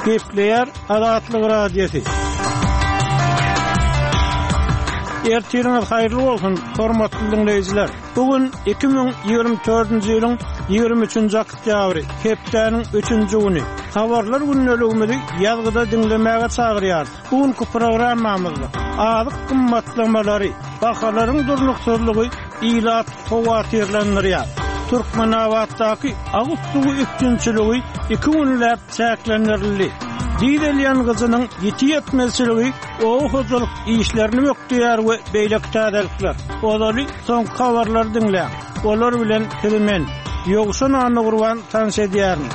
Gepleýär Azatlyk Radiosy. Ertiriňiz haýyrly bolsun, hormatly diňleýjiler! Bu gün 2024-nji ýylyň 23-nji oktýabry, hepdäniň üçünji güni. Habarlar gündeligimizi ýazgyda diňlemäge çagyrýarys. Bu günki programmamyzda azyk gymmatlamalary, bahalaryň durnuksyzlygy ilaty howatyrlandyrýar. Türkmenabatdaky agyz suwy üpjünçiligi iki günläp çäklendirildi. Dizel ýangyjynyň ýiti ýetmezçiligi oba hojalyk işlerini bökdeýär we beýleki täzelikler. Ozaly soňky habarlary diňläň. Olar bilen sizi men, Ýowşan Annagurban tanyş edýärin.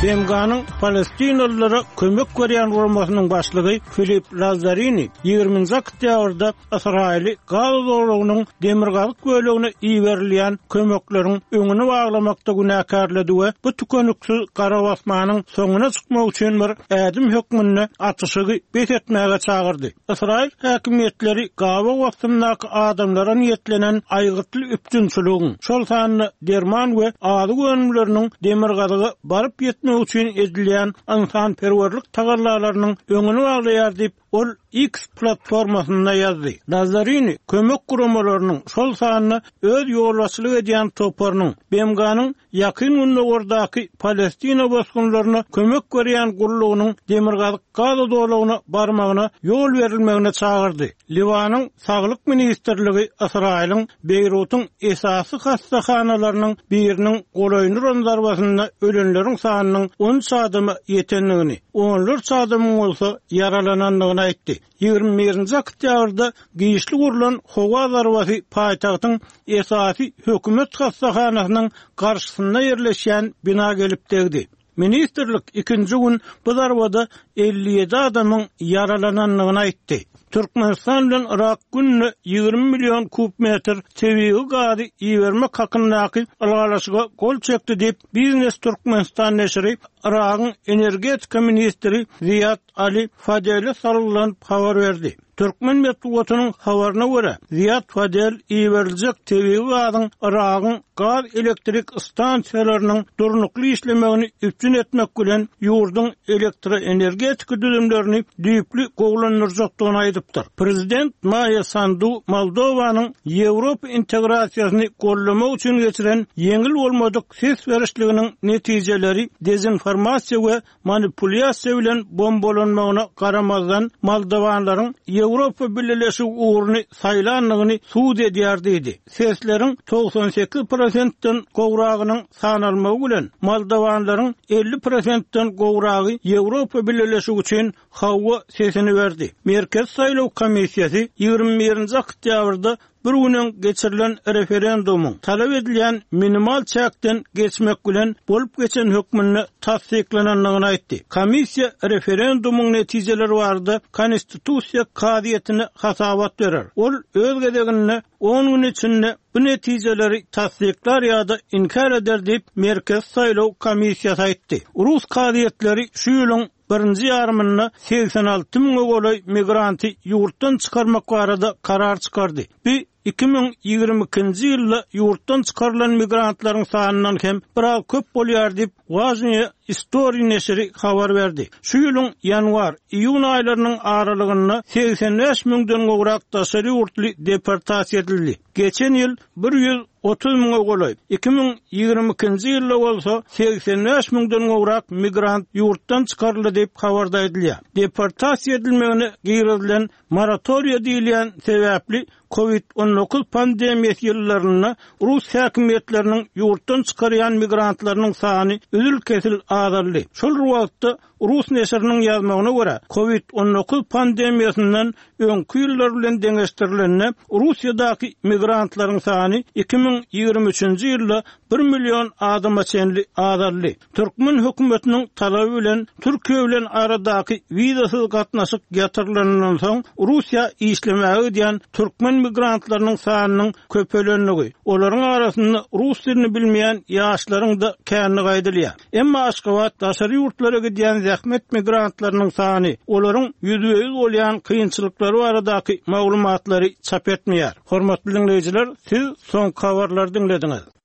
BMG-niň palestinalylara kömek berýän guramasynyň başlygy Filip Lazzarini ýigriminji oktýabrda Ysraýyly Gaza zolagynyň demirgazyk bölegine iberilýän kömekleriň öňüni baglamakda günäkärledi we bu tükeniksiz garabasmanyň soňuna çykmak üçin bir ädim hökmünde atyşygy bes etmäge çagyrdy. Ysraýyl häkimiýetleri gabaw astyndaky adamlara niýetlenen aýgytly üpjünçiligiň, şol sanda derman we azyk önümleriniň demirgazyga baryp ýetmegi üçin edilýän ynsanperwerlik tagallalarynyň öňüni baglaýar diýip, ol X platformasynda ýazdy. Lazzarini kömek guramalarynyň, şol sanda öz ýolbaşçylyk edýän toparynyň BMG-niň Ýakyn Gündogardaky Palestina bosgunlaryna kömek berýän gullugynyň demirgazyk Gaza zolagyna barmagyna ýol berilmegine çagyrdy. Liwanyň Saglyk ministrligi Ysraýylyň Beýrutyň esasy hassahanalarynyň biriniň golaýyny uran zarbasynda ölenleriň sanynyň on üç adama ýetendigini, onlarça adamyň bolsa ýaralanandygyny aýtdy. 21-nji oktýabrda giçlik urlan howa zarbasy paýtagtyň esasy hökümet hassahanasynyň garşysynda ýerleşýän bina gelip degdi. Ministrlik ikinji gün bu zarbada 57 adamyň ýaralanandygyny aýtdy. Türkmenistan bilen Yrak günde 20 million kub metr tebigy gazy ibermek hakyndaky ylalaşyga gol çekdi diýip, Biznes Türkmenistan neşiri Yragyň energetika ministri Ziýad Ali Fadele salgylanyp habar berdi. Türkmen metbugatynyň habaryna görä, Ziýad Fadel iberiljek tebigy gazyň Yragyň gaz elektrik stansiýalarynyň durnukly işlemegini üpjün etmek bilen, ýurduň elektroenergetika düzümlerini düýpli gowulandyrjakdygyny aýdypdyr. Prezident Maýa Sandu Moldowanyň Ýewropa integrasiýasyny goldamak üçin geçiren ýeňil bolmadyk ses berişliginiň netijeleri dezinformasiýa we manipulýasiýa bilen bombalanmagyna garamazdan, moldowanlaryň Ýewropa Bileleşigi ugruny saýlandygyny subut edýär diýdi. Sesleriň 98 prosentden gowragynyň sanalmagy bilen, moldowanlaryň 50 prosentden gowragy Ýewropa Bileleşigi üçin hawa sesini berdi. Merkezi saýlaw komissiýasy 21-nji oktýabrda Bir gün öň geçirilen referendumyň talap edilýän minimal çäkden geçmek bilen bolup geçen hökmünde tassyklanandygyny aýtdy. Komissiýa referendumyň netijeleri barada Konstitusiýa kazyýetine hasabat berer. Ol öz gezeginde on gün içinde bu netijeleri tassyklar ýa-da inkär eder diýip, Merkezi saýlaw komissiýasy aýtdy. Rus kazyýetleri şu ýylyň birinji ýarymynda 86 müňe golaý migranty ýurtdan çykarmak barada karar çykardy. Bu 2022-nji ýylda ýurtdan çykarylan migrantlaryň sanyndan hem biraz köp bolýar diýip, Wažnyýe Istoriý neşiri habar berdi. Şu ýylyň ýanwar, iýun aýlarynyň aralygynda 85 müňden gowrak daşary ýurtly deportasiýa edildi. Geçen ýyl 130 müňe golaý, 2022-nji ýylda bolsa 85 müňden gowrak migrant ýurtdan çykaryldy diýip, habarda aýdylýar. Deportasiýa edilmegine girizilen moratoriýa diýilýän sebäpli Covid 19 pandemiýasy ýyllarynda rus häkimiýetleriniň ýurtdan çykarýan migrantlarynyň sany üzül-kesil azaldy. Şol bir wagtda, Rus neşiriniň ýazmagyna görä, Covid 19 pandemiýasyndan öňki ýyllar bilen deňeşdirilende, Russiýadaky migrantlaryň sany 2023-nji ýylda bir million adama çenli azaldy. Türkmen hökümetiniň talaby bilen Türkiýe bilen aradaky wizasyz gatnaşyk ýatyrylanyndan soň, Russiýa işlemäge gidýän türkmen migrantlarynyň sanynyň köpelendigi, olaryň arasynda rus dilini bilmeýän ýaşlaryň-da kändigi aýdylýar. Emma Aşgabat daşary ýurtlara gidýän zähmet migrantlarynyň sany, olaryň ýüzbe-ýüz bolýan kynçylyklary baradaky maglumatlary çap etmeýär. Hormatly diňleýjiler, siz soňky habarlary diňlediňiz.